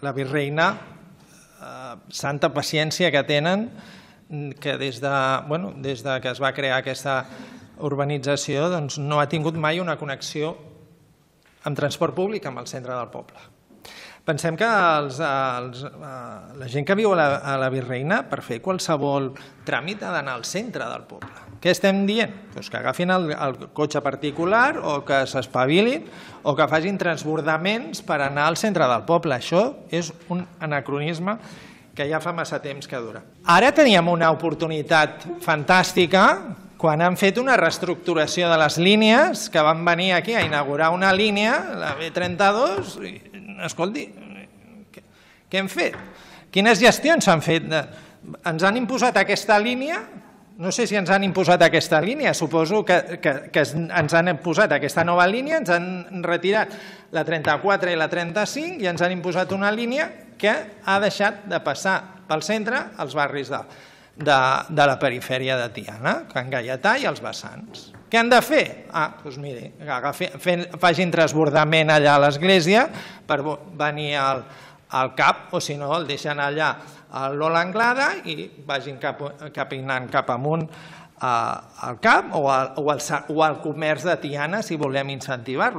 La Virreina, santa paciència que tenen, que des que es va crear aquesta urbanització no ha tingut mai una connexió amb transport públic amb el centre del poble. Pensem que la gent que viu a la Virreina, per fer qualsevol tràmit, ha d'anar al centre del poble. Què estem dient? Que agafin el cotxe particular o que s'espavilin o que facin transbordaments per anar al centre del poble. Això és un anacronisme que ja fa massa temps que dura. Ara teníem una oportunitat fantàstica quan han fet una reestructuració de les línies, que van venir aquí a inaugurar una línia, la B32, i, escolti, què hem fet? Quines gestions s'han fet? Ens han imposat aquesta línia? No sé si ens han imposat aquesta línia, suposo que ens han imposat aquesta nova línia, ens han retirat la 34 i la 35 i ens han imposat una línia que ha deixat de passar pel centre als barris de la perifèria de Tiana, Can Gaietà i els vessants. Què han de fer? Doncs miri, facin transbordament allà a l'església per venir al CAP, o si no el deixen allà a l'Ola Anglada i vagin capinant cap amunt al CAP o al comerç de Tiana si volem incentivar-lo.